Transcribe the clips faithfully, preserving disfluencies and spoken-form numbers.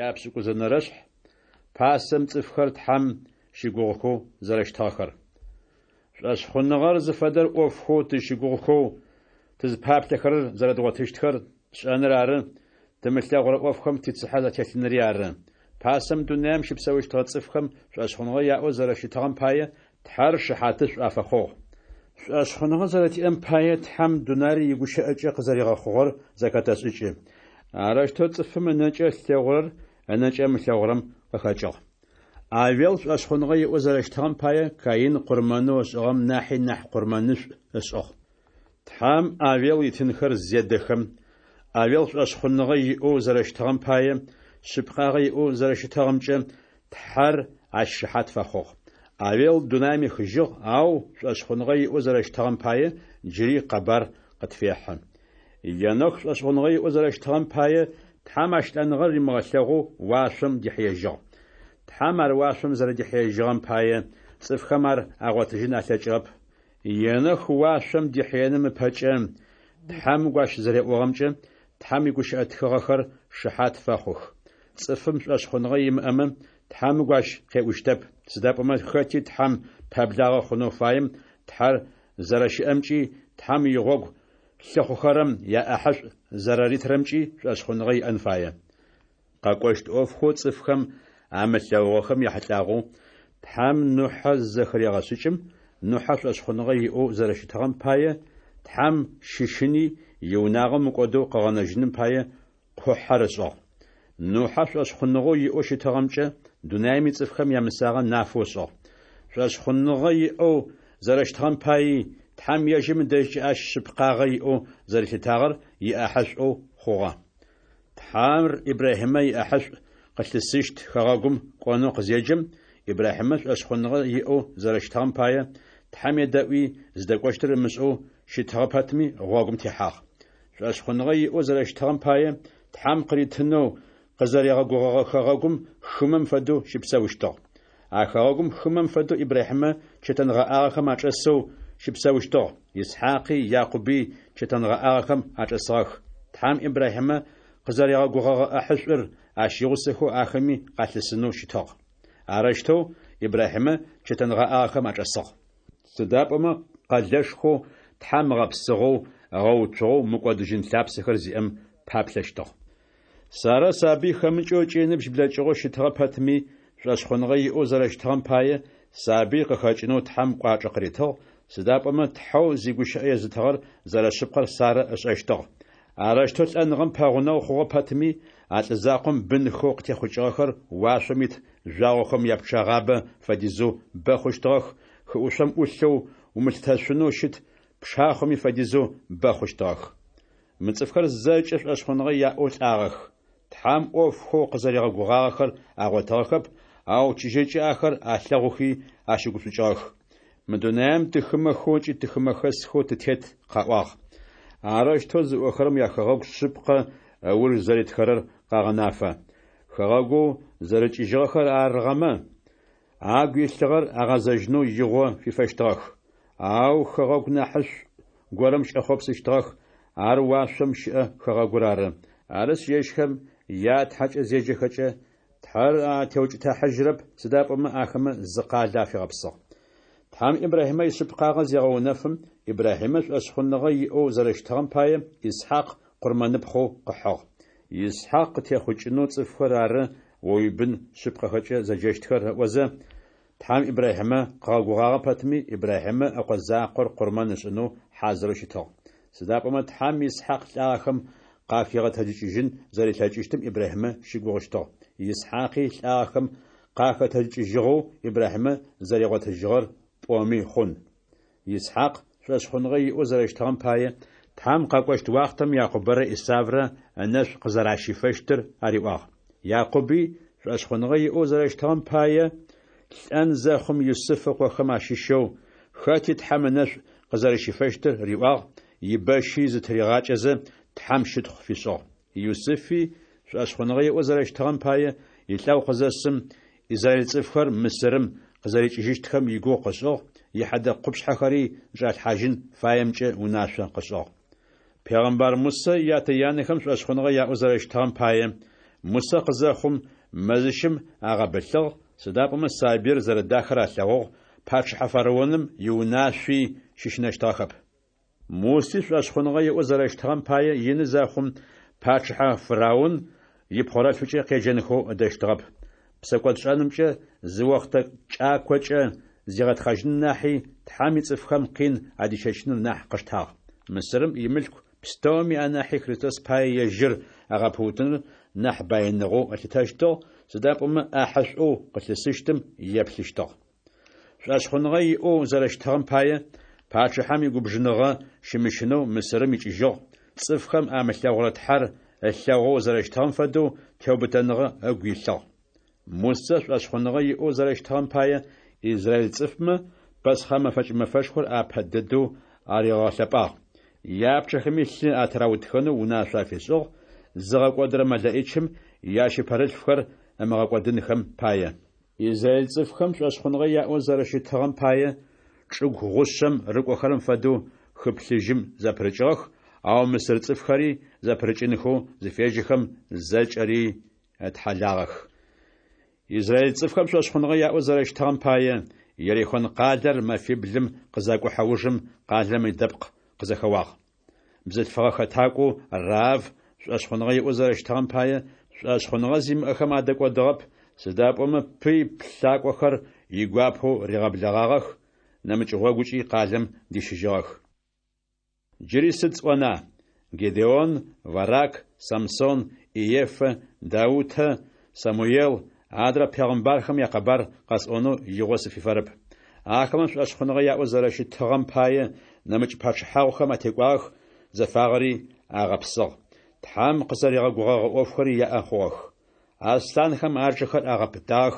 Япшӏыкӏузэнэрэшъхь пасэм цӏыфхэр Тхьэм щыгугъыхэу зэрэщытыгъэхэр. Шӏошъхъуныгъэр зыфэдэр ӏофхэу тызщыгугъыхэу тызпаплъэхэрэр зэрэдгъотыщтхэр тшӏэныр ары, тымылъэгъурэ ӏофхэм тицыхьэ ателъынри ары. Пасэм дунаим щыпсэущтыгъэ цӏыфхэм шӏошъхъуныгъэ яӏэу зэрэщытыгъэм пае, Тхьэр шыхьатышӏу афэхъугъ. Шӏошъхъуныгъэ зэрэтиӏэм пае, Тхьэм дунаир игущыӏэкӏэ къызэригъэхъугъэр зэхэтэшӏыкӏы. Арэущтэу цӏыфым ынэкӏэ ылъэгъурэр ынэкӏэ ымылъэгъурэм къыхэкӏыгъ. Авел шӏошъхъуныгъэ иӏэу зэрэщытыгъэм пае, Каин къурмэнэу ышӏыгъэм нахьи нахь къурмэнышӏу ышӏыгъ. Тхьэм Авел итынхэр зедэхэм, Авел шӏошъхъуныгъэ иӏэу зэрэщытыгъэм пае, шъыпкъагъэ иӏэу зэрэщытыгъэмкӏэ Тхьэр ащ шыхьат фэхъугъ. Авел дунаим ехыжьыгъ, ау шӏошъхъуныгъэ иӏэу зэрэщытыгъэм пае, джыри къэбар къытфехьы. Енох шӏошъхъуныгъэ иӏэу зэрэщытыгъэм пае, Тхьэм ащ лӏэныгъэр римыгъэлъэгъоу уашъом дихьыежьыгъ. Тхьэм ар уашъом зэрэдихьыежьыгъэм пае, цӏыфхэм ар агъотыжьын алъэкӏыгъэп. Енох уашъом дихьыеным ыпэкӏэ, Тхьэм ыгу ащ зэреӏугъэмкӏэ Тхьэм игущыӏэ тхыгъэхэр шыхьат фэхъух. Цӏыфым шӏошъхъуныгъэ имыӏэмэ, Тхьэм ыгу ащ къеӏущтэп, сыда пӏомэ хэти Тхьэм пэблагъэ хъунэу фаем Тхьэр зэрэщыӏэмкӏи, Тхьэм игъогу лъыхъухэрэм яӏэхьышӏу зэраритырэмкӏи шӏошъхъуныгъэ иӏэн фае. Къэкӏощт ӏофхэу цӏыфхэм амылъэгъугъэхэм яхьылӏагъэу Тхьэм Нухьэ зызэхырегъэшӏыкӏым, Нухьэ шӏошъхъуныгъэ иӏэу зэрэщытыгъэм пае, Тхьэм щыщыни, иунагъо мыкӏодэу къыгъэнэжьыным пае къухьэр ышӏыгъ. Нухьэ шӏошъхъуныгъэу иӏэу щытыгъэмкӏэ дунаим ицӏыфхэм ямысагъэ нафэу ышӏыгъ. Шӏошъхъуныгъэ иӏэу зэрэщытыгъэм паий, Тхьэм ежьым ыдэжькӏэ ащ шъыпкъагъэ иӏэу зэрилъытагъэр иӏэхьышӏоу хъугъэ. Тхьэр Ибрахьимэ иӏэхьышӏу къылъысыщт хэгъэгум кӏонэу къызеджэм, Ибрахьимэ шӏошъхъуныгъэ иӏэу зэрэщытыгъэм пае, Тхьэм едэӏуи, зыдэкӏощтыр ымышӏэу щытыгъэ пэтми, гъогум техьагъ. Шӏошъхъуныгъэ иӏэу зэрэщытыгъэм пае, Тхьэм къыритынэу къызэригъэгугъэгъэ хэгъэгум хымэм фэдэу щыпсэущтыгъ. А хэгъэгум хымэм фэдэу Ибрахьимэ чэтэнгъэӏагъэхэм ачӏэсэу щыпсэущтыгъ, Исхьакъи Якъуби чэтэнгъэӏагъэхэм ачӏэсыгъэх. Тхьэм Ибрахьимэ къызэригъэгугъэгъэ ӏэхьышӏур ащ игъусэхэу ахэми къалъысынэу щытыгъ. Арэущтэу Ибрахьимэ чэтэнгъэӏагъэхэм ачӏэсыгъ. Сыда пӏомэ къэлэшхоу Тхьэм ыгъэпсыгъэу, ыгъэуцугъэу мыкӏодыжьын лъапсэхэр зиӏэм паплъэщтыгъ. Сарэ сабый хэмыкӏэу ыкӏи ыныбжь блэкӏыгъэу щытыгъэ пэтми, шӏошъхъуныгъэ иӏэу зэрэщытыгъэм пае, сабый къыхэкӏынэу Тхьэм кӏуачӏэ къыритыгъ, сыда пӏомэ Тхьэу зигущыӏэ езытыгъэр зэрэшъыпкъэр Сарэ ышӏэщтыгъ. Арэущтэу лӏэныгъэм пэгъунэгъу хъугъэ пэтми, а лӏы закъом бынхэу къытехъукӏыгъэхэр уашъом ит жъуагъохэм япчъэгъабэ фэдизэу бэ хъущтыгъэх, хыӏушъом ӏулъэу умылъытэшъунэу щыт пшахъоми фэдизэу бэ хъущтыгъэх. Мы цӏыфхэр зэкӏэ шӏошъхъуныгъэ яӏэу лӏагъэх. Тхьэм ӏофхэу къызэригъэгугъагъэхэр агъотыгъэхэп, ау чыжьэкӏэ ахэр алъэгъухи ащыгушӏукӏыгъэх. Мы дунаим тыхымэхэу ыкӏи тыхымэхэсхэу тытет къаӏуагъ. Арэущтэу зыӏохэрэм яхэгъэгу шъыпкъэ ыуж зэритхэрэр къагъэнафэ. Хэгъэгоу зэрыкӏыжьыгъэхэр арыгъэмэ, агу илъыгъэр агъэзэжьынэу игъо фифэщтыгъэх. Ау хэгъэгу нахьышӏу горэм кӏэхъопсыщтыгъэх, ар уашъом щыӏэ хэгъэгур ары. Арышъ, ежьхэм я Тхьэкӏэ зеджэхэкӏэ, Тхьэр атеукӏытыхьажьырэп, сыда пӏомэ ахэмэ зы къалэ афигъэпсыгъ. Тхьэм Ибрахьимэ ишъыпкъагъэ зегъэунэфым, Ибрахьимэ шӏошъхъуныгъэ иӏэу зэрэщытыгъэм пае Исхьакъ къурмэныпхъэу къыхьыгъ. Исхьакъ къытехъукӏынэу цӏыфхэр ары о уибын шъыпкъэхэкӏэ зэджэщтхэр ыӏозэ, Тхьэм Ибрахьимэ къыгъэгугъагъэ пэтми, Ибрахьимэ ыкъо закъор къурмэн ышӏынэу хьазырэу щытыгъ. Сыда пӏомэ Тхьэм Исхьакъ лӏагъэхэм къахигъэтэджыкӏыжьын зэрилъэкӏыщтым Ибрахьимэ щыгугъыщтыгъ. Исхьакъи лӏагъэхэм къахэтэджыкӏыжьыгъэу Ибрахьимэ зэригъотыжьыгъэр пӏоми хъун. Исхьакъ шӏошъхъуныгъэ иӏэу зэрэщытыгъэм пае, Тхьэм къэкӏощт уахътэм Якъубэрэ Исаврэ ынэшӏу къызэращифэщтыр ариӏуагъ. Якъуби шӏошъхъуныгъэ иӏэу зэрэщытыгъэм пае, лӏэн зэхъум Юсыф ыкъохэм ащыщэу хэти Тхьэм ынэшӏу къызэрэщифэщтыр риӏуагъ, ибэщи зытыригъакӏэзэ, Тхьэм щытхъу фишӏыгъ. Юсыфи шӏошъхъуныгъэ иӏэу зэрэщытыгъэм пае, илӏэгъу къызэсым, израиль цӏыфхэр Мысырым къызэрикӏыжьыщтхэм игугъу къышӏыгъ, ихьэдэ къупшъхьэхэри зычӏалъхьажьын фаемкӏэ унашъо къышӏыгъ. Пегъэмбар Мусэ ятэ-янэхэм шӏошъхъуныгъэ яӏэу зэрэщытыгъэм пае, Мусэ къызэхъум, мэзищым агъэбылъыгъ, сыда пӏомэ сабыир зэрэдахэр алъэгъугъ, пачъыхьэ фараоным иунашъуи щыщынэщтыгъэхэп. Муси шӏошъхъуныгъэ иӏэу зэрэщытыгъэм пае, ины зэхъум, пачъыхьэ фараон ипхъорэлъфыкӏэ къеджэнхэу ыдэщтыгъэп. Псэкӏодшӏэнымкӏэ зы охътэ кӏакокӏэ зигъэтхъэжьыным нахьи, Тхьэм ицӏыфхэм къин адищэчыныр нахь къыштагъ. Мысырым имылъку пстэуми анахьи Христос пае ежьыр агъэпыутыныр нахь баиныгъэу ылъытэщтыгъ, сыда пӏомэ ӏахьышӏоу къылъысыщтым еплъыщтыгъ. Шӏошъхъуныгъэ иӏэу зэрэщытыгъэм пае, пачъыхьэм игубжыныгъэ щымыщынэу Мысырым икӏыжьыгъ, цӏыфхэм амылъэгъурэ Тхьэр ылъэгъоу зэрэщытыгъэм фэдэу теубытэныгъэ ыгу илъыгъ. Мусэ шӏошъхъуныгъэ иӏэу зэрэщытыгъэм пае, израиль цӏыфмэ Пасхъэ мэфэкӏ мэфэшхор апэ дэдэу аригъэлъэпӏагъ. Япчъэхэми лъы атыраутхэнэу унашъо афишӏыгъ, зыгъэкӏодырэ мэлэӏичым ящыпэрылъфхэр ымыгъэкӏодынхэм пае. Израиль цӏыфхэм шӏошъхъуныгъэ яӏэу зэрэщытыгъэм пае, чӏыгу гъушъэм рыкӏохэрэм фэдэу хы Плъыжьым зэпырыкӏыгъэх, ау мысыр цӏыфхэри зэпырыкӏынхэу зыфежьэхэм, зэкӏэри ытхьалагъэх. Израиль цӏыфхэм шӏошъхъуныгъэ яӏэу зэрэщытыгъэм пае, Ерихон къалэр мэфиблым къызакӏухьэ ужым къалэм идэпкъ къызэхэуагъ. Бзылъфыгъэ хэтакӏоу Раав шӏошъхъуныгъэ иӏэу зэрэщытыгъэм пае, шӏошъхъуныгъэ зимыӏэхэм адэкӏодыгъэп, сыда пӏомэ пый плъакӏохэр игуапэу ригъэблэгъагъэх, нэмыкӏ гъогукӏи къалэм дищыжьыгъэх. Джыри сыд сӏона? Гедеон, Варак, Самсон, Иеффэ, Даутэ, Самуел, адрэ пегъымбархэм якъэбар къэсӏонэу игъо сыфифэрэп. Ахэмэ шӏошъхъуныгъэ яӏэу зэрэщытыгъэм пае, нэмыкӏ пачъыхьагъухэм атекӏуагъэх, зэфагъэри агъэпсыгъ, Тхьэм къызэригъэгугъэгъэ ӏофхэри яӏэ хъугъэх. Аслъанхэм ажэхэр агъэпытагъэх,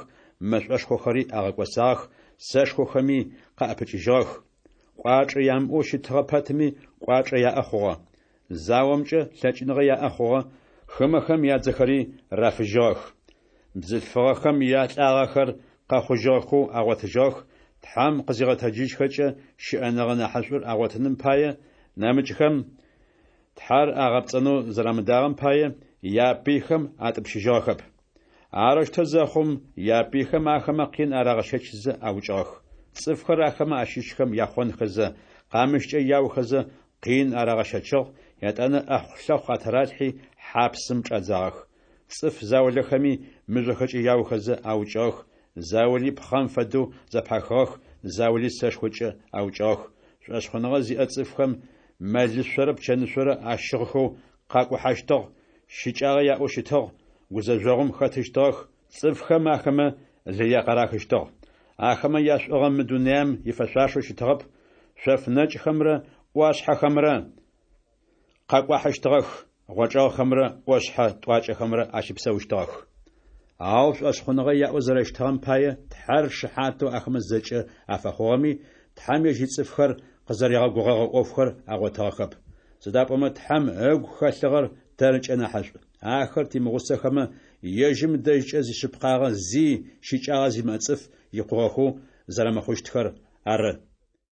мэшӏошхохэри агъэкӏосагъэх, сэшхохэми къаӏэпыкӏыжьыгъэх. Кӏуачӏэ ямыӏэу щытыгъэ пэтми, кӏуачӏэ яӏэ хъугъэ. Заомкӏэ лъэкӏыныгъэ яӏэ хъугъэ, хымэхэм ядзэхэри рафыжьыгъэх. Бзылъфыгъэхэм ялӏагъэхэр къэхъужьыгъэхэу агъотыжьыгъэх, Тхьэм къызигъэтэджыжьхэкӏэ щыӏэныгъэ нахьышӏур агъотыным пае, нэмыкӏхэм Тхьэр агъэпцӏэнэу зэрамыдагъэм пае, япыйхэм атӏупщыжьыгъэхэп. Арэущтэу зэхъум, япыйхэм ахэмэ къин арагъэщэчзэ аукӏыгъэх. Цӏыфхэр ахэмэ ащыщхэм яхъонхэзэ, къамыщкӏэ яохэзэ къин арагъэщэчыгъ, етӏанэ ӏэхъулъэхъу атыралъхьи хьапсым чӏадзагъэх. Цӏыф заулэхэми мыжъохэкӏэ яохэзэ аукӏыгъэх, заули пхъэм фэдэу зэпахыгъэх, заули сэшхокӏэ аукӏыгъэх. Шӏошъхъуныгъэ зиӏэ цӏыфхэм мэлышъорэ пчэнышъорэ ащыгъхэу къакӏухьэщтыгъ, щыкӏагъэ яӏэу щытыгъ, гузэжъогъум хэтыщтыгъэх, цӏыфхэм ахэмэ лые къарахыщтыгъ. Ахэмэ яшӏугъэ мы дунаим ифэшъуашэу щытыгъэп, шъоф нэкӏхэмрэ ӏуашъхьэхэмрэ къакӏуахьыщтыгъэх, гъочӏэгъхэмрэ ӏошъхьэ тӏуакӏэхэмрэ ащыпсэущтыгъэх. Ау шӏошъхъуныгъэ яӏэу зэрэщытыгъэм пае, Тхьэр шыхьатэу ахэмэ зэкӏэ афэхъугъэми, Тхьэм ежь ицӏыфхэр къызэригъэгугъэгъэ ӏофхэр агъотыгъэхэп. Сыда пӏомэ Тхьэм ыгу хэлъыгъэр тэркӏэ нахьышӏу. Ахэр тимыгъусэхэмэ, ежьым дэжькӏэ зишъыпкъагъэ зи щыкӏагъэ зимыӏэ цӏыф икъугъэхэу зэрэмыхъущтхэр ары.